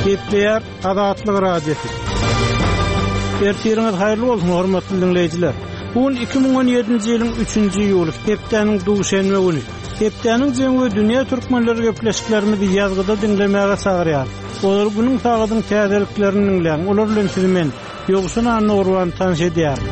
Gepleýär Azatlyk Radiosy. Ertiriňiz haýyrly bolsun, hormatly diňleýjiler. Bu gün 2017-nji ýylyň 3-nji iýuly, hepdäniň duşenbe güni. Hepdäniň jemi we dünýä türkmenleri gepleşiklerimizi ýazgyda diňlemäge çagyrýar. Olar günüň sagadyň täzeliklerini diňläň. Olar bilen sizi men, Ýowşan Annagurban tanyş edýärin.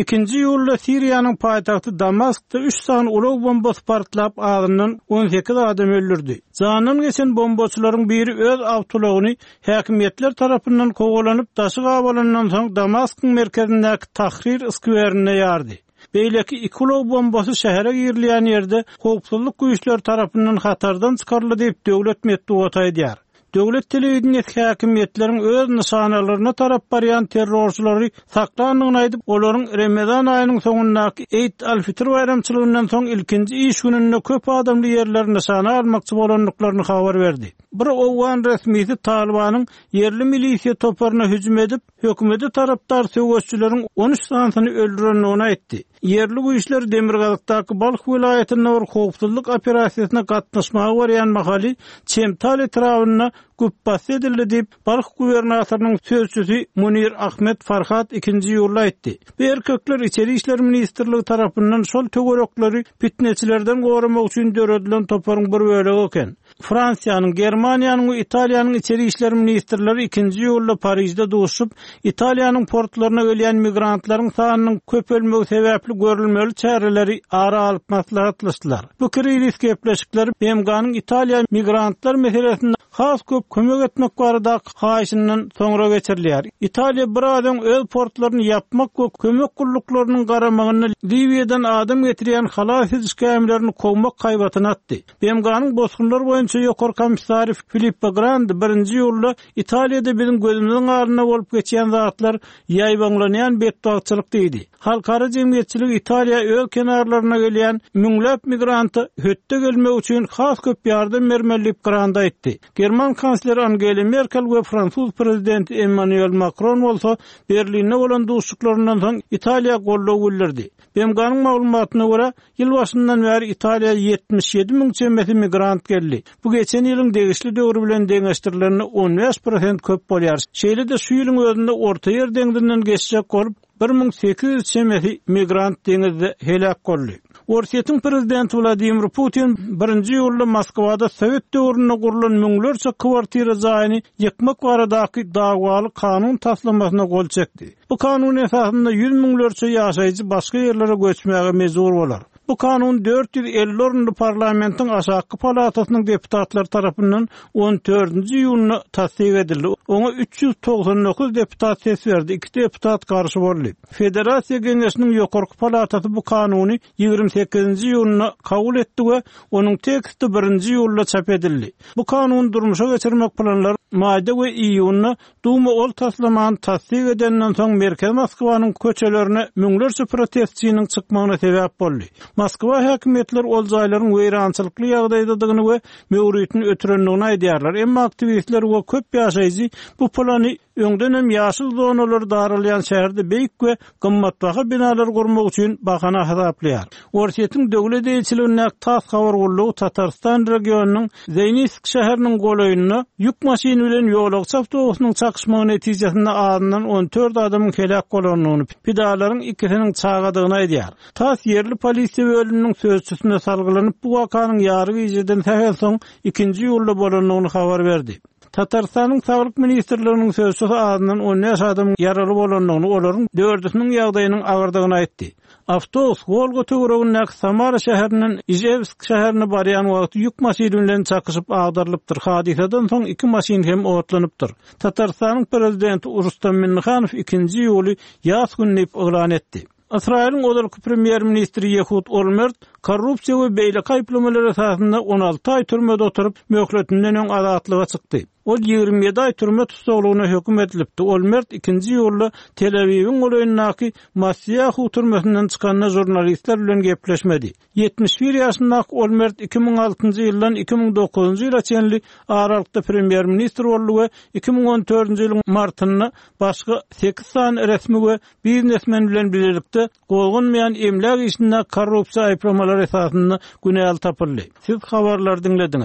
Ikinji iýulda Siriýanyň paýtagty Damaskda üç sany ulag bombasy partlap, azyndan 18 adam öldürdi. Jandan geçen bombaçylaryň biri öz awtoulagyny häkimiýetler tarapyndan kowalanyp, daşy gabalandan soň Damaskyň merkezindäki Tahrir skwerinde ýardy. Beýleki iki ulag bombasy şähere girilýän ýerde howpsuzlyk güýçleri tarapyndan hatardan çykaryldy diýip, döwlet metbugaty aýdýar. Döwlet telewideniýesi häkimiýetleriň öz nyşanalaryna tarap barýan terrorçylary saklandygyny aýdyp, olaryň Remezan aýynyň soňundaky Eid al-Fitr baýramçylygyndan soň ilkinji iş gününde köp adamly ýerleri nyşana almakçy bolandyklaryny habar berdi. Bir owgan resmisi Talybanyň ýerli milisiýa toparyna hüjüm edip, hökümete tarapdar söweşçileriň 13 sanysyny öldürendigini aýtdy. Ýerli güýçler demirgazykdaky Balh welaýatynda bir howpsuzlyk operasiýasyna gatnaşmaga barýan mahaly Çemtal etrabynda güpbasdy edildi diýip, Balh gubernatorynyň sözçüsi Munir Ahmed Farhad ikinji iýulda aýtdy. Bu erkekler Içeri işler ministrligi tarapyndan şol töwerekleri pitneçilerden goramak üçin döredilen toparyň bir bölegi eken. Fransiýanyň, Germaniýanyň we Italiýanyň içeri işler ministrleri ikinji iýulda Parižde duşuşyp, Italiýanyň portlaryna gelýän migrantlaryň sanynyň köpelmegi sebäpli görülmeli çäreleri ara alyp maslahatlaşdylar. Bu krizis gepleşikleri BMG-niň Italiýa migrantlar meselesinde has köp kömek etmek baradaky haýyşyndan soňra geçirilýär. Italiýa biraz öň öz portlaryny ýapmak we kömek gulluklarynyň garamagyna Liwiýadan adam getirýän halas ediş gämilerini kowmak haýbatyny atdy. BMG-niň bosgunlar boýunça ýokary komissary Filippo Grandi birinji iýulda Italiýada biziň gözümiziň alnynda bolup geçýän zatlar ýaýbaňlanýan betbagtçylyk diýdi. Halkara jemgyýetçiligi Italiýa öz kenarlaryna gelýän müňläp migranta hötde gelmek üçin has köp ýardam bermeli diýip Grandi aýtdy. German kansleri Angela Merkel we fransuz prezidenti Emmanuel Makron bolsa Berlinde bolan duşuşyklaryndan soň Italiýa goldaw bildirdi. BMG-niň maglumatyna görä, Ýyl başyndan bäri Italiýa 77 müň çemesi migrant geldi. Bu geçen ýylyň degişli döwri bilen deňeşdirilende 15 prosent köp bolýar. Şeýle-de şu ýylyň özünde Ortaýer deňzinden geçjek bolup, 1800 çemesi migrant deňizde heläk boldy. Orsýetiň prezidenti Wladimir Putin birinji iýulda Moskwada sowet döwründe gurlan müňlerçe kwartira jaýyny ýykmak baradaky dawaly kanun taslamasyna gol çekdi. Bu kanun esasynda ýüz müňlerçe ýaşaýjy başga ýerlere göçmäge mejbur bolar. Bu kanun 450 orunly parlamentiň aşakky palatasynyň deputatlary tarapyndan on dördünji iýunda tassyk edildi. Oňa 399 deputat ses berdi, iki deputat garşy boldy. Federasiýa Geňeşiniň ýokarky palatasy bu kanuny 28-nji iýunda kabul etdi we onuň teksti birinji iýulda çap edildi. Bu kanuny durmuşa geçirmek planlary maýda we iýunda Duma ol taslamany tassyk edenden soň merkezi Moskwanyň köçelerine müňlerçe protestçiniň çykmagyna sebäp boldy. Moskwa häkimiýetleri ol jaýlaryň weýrançylykly ýagdaýdadygyny we möwritini ötürendigini aýdýarlar, emma aktiwistler we köp ýaşaýjy bu plany öňdenem ýaşyl zonalary daralýan şäherde beýik we gymmatbaha binalar gurmak üçin bahana hasaplaýar. Orsýetiň döwlet eýeçiligindäki tass habar gullugy Tatarystan regionynyň Zeýnisk şäheriniň golaýynda ýük maşyny bilen ýolagçy awtobusynyň çakyşmagy netijesinde azyndan 14 adamyň heläk bolandygyny, pidalaryň ikisiniň çagadygyny aýdýar. Tass ýerli polisiýa bölüminiň sözçüsine salgylanyp, bu wakanyň ýary gijeden sähel soň ikinji iýulda bolandygyny habar berdi. Tatarystanyň Saglyk ministrliginiň sözçüsi azyndan 15 adamyň ýaraly bolandygyny, olaryň dördüsiniň ýagdaýynyň agyrdygyny aýtdy. Awtobus Wolga töweregindäki Samara şäherinden Ižewsk şäherine barýan wagty ýük maşyny bilen çakyşyp agdarylypdyr. Hadysadan soň iki maşyn hem otlanypdyr. Tatarystanyň prezidenti Rustam Minnihanow ikinji iýuly ýas güni diýip yglan etdi. Ysraýylyň ozalky premýer-ministri Ýehud Olmert korrupsiýa we beýleki aýyplamalar esasynda 16 aý türmede oturyp, möhletinden öň azatlyga çykdy. Ol 27 aý türme tussaglygyna höküm edilipdi. Olmert ikinji iýulda Tel-Awiwiň golaýyndaky Massiýahu türmesinden çykanda žurnalistler bilen gepleşmedi. 71 ýaşyndaky Olmert 2006-njy ýyldan 2009-njy ýyla çenli aralykda premýer-ministr boldy we 2014-nji ýylyň martynda başga sekiz sany resmi we biznesmen bilen bilelikde gozganmaýan emläk işinde korrupsiýa aýyplamalary esasynda günäli tapyldy. Siz habarlary diňlediňiz.